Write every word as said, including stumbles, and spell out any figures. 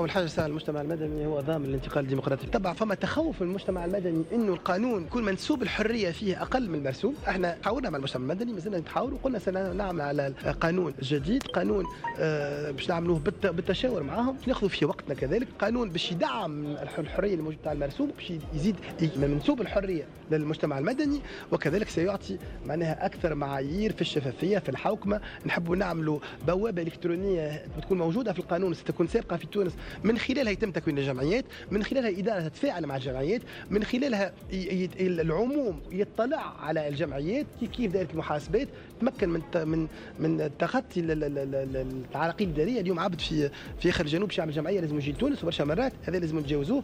اول حاجه، ساعة المجتمع المدني هو ضامن الانتقال الديمقراطي. طبعا فما تخوف من المجتمع المدني انه القانون يكون منسوب الحرية فيه اقل من المرسوم. احنا حاولنا مع المجتمع المدني، مازلنا نتحاور، وقلنا سنعمل على قانون جديد، قانون آه، باش نعملوه بالتشاور معاهم، ناخذوا في وقتنا كذلك، قانون باش يدعم الحرية الموجودة تاع المرسوم، باش يزيد من منسوب الحرية للمجتمع المدني، وكذلك سيعطي معناها اكثر معايير في الشفافيه، في الحوكمه. نحبوا نعملوا بوابه الكترونية تكون موجودة في القانون، ستكون سابقه في تونس، من خلالها يتم تكوين الجمعيات، من خلالها الادارة تتفاعل مع الجمعيات، من خلالها العموم يطلع على الجمعيات. كيف كيف دائرة المحاسبات تمكن من من من تخطي العراقيل الاداريه. اليوم عبد في في اخر الجنوب باش يعمل جمعية لازم يجي لتونس، وبرشا مرات هذا لازم نتجاوزوه.